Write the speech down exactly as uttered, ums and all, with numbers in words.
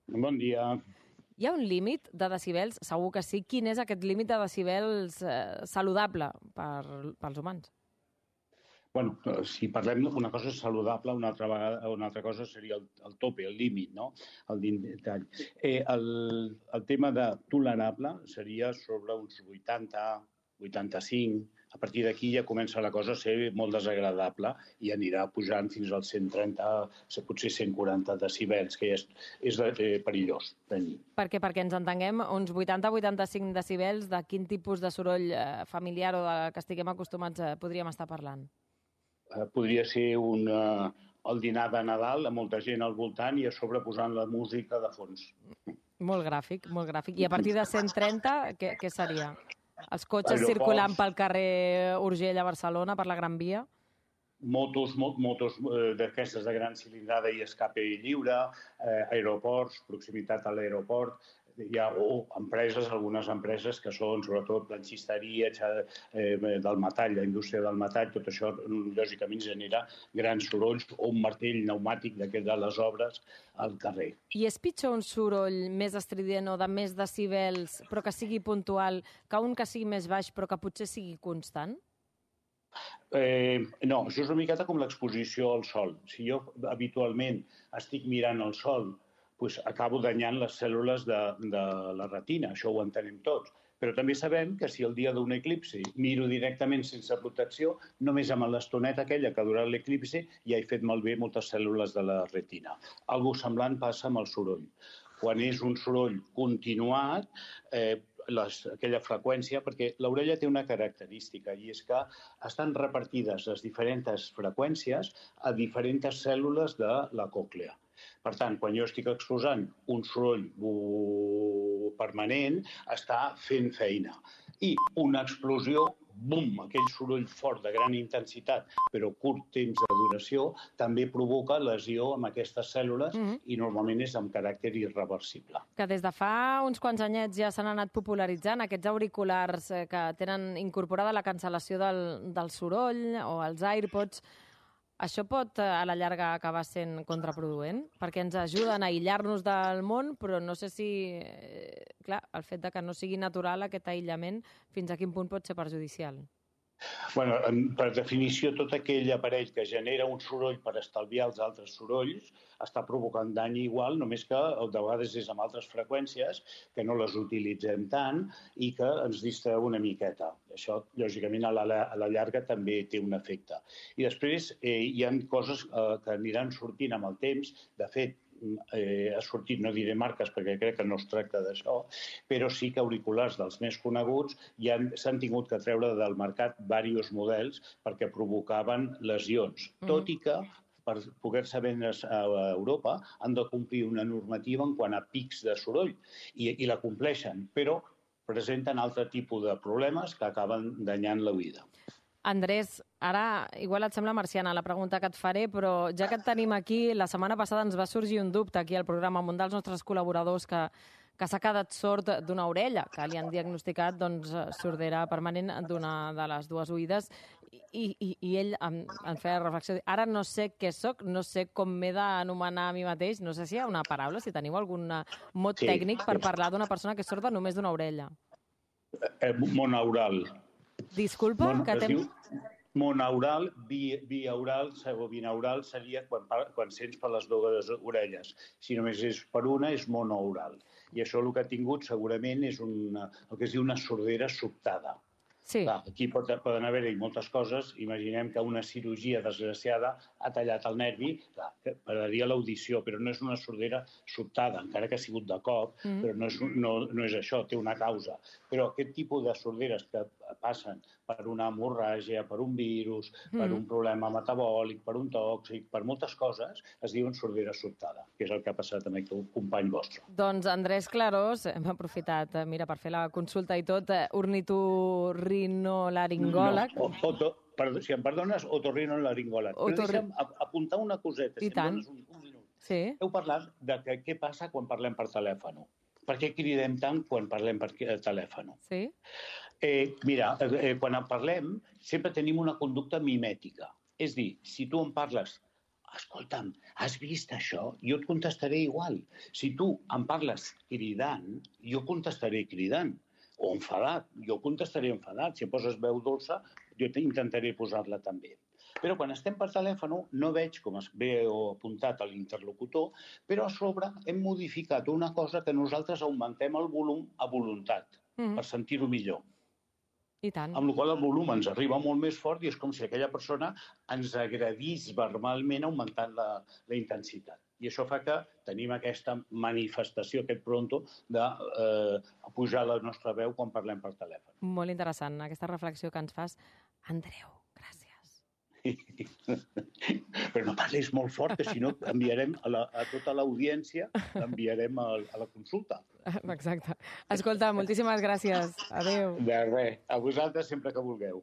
Bon dia. Hi ha un límit de decibels? Segur que sí. Quin és aquest límit de decibels eh, saludable per, pels humans? Bueno, si parlem d'una cosa saludable, una altra vegada, una altra cosa seria el, el tope, el límit, no? El detall. Eh, el, el tema de tolerable seria sobre uns vuitanta, vuitanta-cinc. A partir d'aquí ja comença la cosa a ser molt desagradable i anirà pujant fins als cent trenta, potser cent quaranta decibels, que és, és eh, perillós tenir. Per què? Perquè ens entenguem, uns vuitanta a vuitanta-cinc decibels, de quin tipus de soroll eh, familiar o de que estiguem acostumats eh, podríem estar parlant? Eh, podria ser un, eh, el dinar de Nadal amb molta gent al voltant i a sobre posant la música de fons. Molt gràfic, molt gràfic. I a partir de cent trenta, què, què seria? Els cotxes Aeroports, circulant pel carrer Urgell a Barcelona, per la Gran Via? Motos, motos eh, d'aquestes de gran cilindrada i escape lliure, eh, aeroports, proximitat a l'aeroport. Hi ha o empreses, algunes empreses que són sobretot planxisteria, eh, del metall, la indústria del metall, tot això lògicament genera grans sorolls o un martell pneumàtic d'aquest de les obres al carrer. I és pitjor un soroll més estrident o de més decibels però que sigui puntual que un que sigui més baix però que potser sigui constant? Eh, no, això és una miqueta com l'exposició al sol. Si jo habitualment estic mirant el sol, doncs acabo danyant les cèl·lules de, de la retina, això ho entenem tots. Però també sabem que si el dia d'un eclipsi miro directament sense protecció, només amb l'estoneta aquella que ha durat l'eclipsi ja he fet malbé moltes cèl·lules de la retina. Algo semblant passa amb el soroll. Quan és un soroll continuat, eh, Les, aquella freqüència, perquè l'orella té una característica i és que estan repartides les diferents freqüències a diferents cèl·lules de la còclea. Per tant, quan jo estic exposant un soroll permanent, està fent feina. I una explosió, bum, aquell soroll fort de gran intensitat, però curt temps de duració, també provoca lesió amb aquestes cèl·lules mm-hmm. i normalment és amb caràcter irreversible. Que des de fa uns quants anyets ja s'han anat popularitzant aquests auriculars que tenen incorporada la cancel·lació del, del soroll o els AirPods. Això pot, a la llarga, acabar sent contraproduent? Perquè ens ajuden a aïllar-nos del món, però no sé si... Clar, el fet de que no sigui natural aquest aïllament, fins a quin punt pot ser perjudicial? Bueno, per definició, tot aquell aparell que genera un soroll per estalviar els altres sorolls està provocant dany igual, només que de vegades és amb altres freqüències, que no les utilitzem tant i que ens distreu una miqueta. Això, lògicament, a la, a la llarga també té un efecte. I després eh, hi ha coses eh, que aniran sortint amb el temps. De fet, Eh, ha sortit, no diré marques perquè crec que no es tracta d'això, però sí que auriculars dels més coneguts ja s'han tingut que treure del mercat diversos models perquè provocaven lesions, mm. tot i que per poder-se vendre's a Europa han de complir una normativa en quant a pics de soroll i, i la compleixen, però presenten altre tipus de problemes que acaben danyant l'oïda. Andrés, ara igual et sembla marciana la pregunta que et faré, però ja que et tenim aquí, la setmana passada ens va sorgir un dubte aquí al programa amb un dels nostres col·laboradors que, que s'ha quedat sord d'una orella, que li han diagnosticat doncs, sordera permanent d'una de les dues oïdes, i, i, i ell em, em feia reflexió. Ara no sé què soc, no sé com m'he d'anomenar a mi mateix, no sé si hi ha una paraula, si teniu algun mot sí, tècnic per sí. parlar d'una persona que és sorda només d'una orella. Eh, monaural. Disculpa, Mon, que es diu monaural, bi, biaural o binaural seria quan, quan sents per les dues orelles. Si només és per una, és monaural. I això el que ha tingut segurament és una, el que es diu una sordera sobtada. Sí. Clar, aquí pot, poden haver-hi moltes coses. Imaginem que una cirurgia desgraciada ha tallat el nervi, clar, que perdria l'audició, però no és una sordera sobtada, encara que ha sigut de cop, mm. però no és, no, no és això, té una causa. Però aquest tipus de sorderes que passen per una hemorràgia, per un virus, mm. per un problema metabòlic, per un tòxic, per moltes coses, es diuen sordera sobtada, que és el que ha passat amb aquest company vostre. Doncs Andrés Clarós, hem aprofitat, mira, per fer la consulta i tot, ornitorrinolaringòleg. No, oto, perdó, si em perdones, otorrinolaringòleg. Però Otorri... deixa'm apuntar una coseta, I si tant. em dones un, un minut. Sí. Heu parlat de que, què passa quan parlem per telèfon. Per què cridem tant quan parlem per telèfon? Sí. Eh, mira, eh, quan en parlem sempre tenim una conducta mimètica. És dir, si tu em parles escolta'm, has vist això? Jo et contestaré igual. Si tu em parles cridant, jo contestaré cridant. O enfadat, jo contestaré enfadat. Si poses veu dolça, jo intentaré posar-la també. Però quan estem per telèfon no veig, com es veu apuntat a l'interlocutor, però a sobre hem modificat una cosa que nosaltres augmentem el volum a voluntat, mm-hmm. per sentir-ho millor. I tant. Amb la qual cosa el volum ens arriba molt més fort i és com si aquella persona ens agredís verbalment augmentant la, la intensitat. I això fa que tenim aquesta manifestació, aquest pronto, de eh, pujar la nostra veu quan parlem per telèfon. Molt interessant, aquesta reflexió que ens fas. Andreu, gràcies. Però no parlis molt fort, que si no enviarem a, la, a tota l'audiència, l'enviarem a, a la consulta. Exacte. Escolta, moltíssimes gràcies. Adéu. De res. A vosaltres sempre que vulgueu.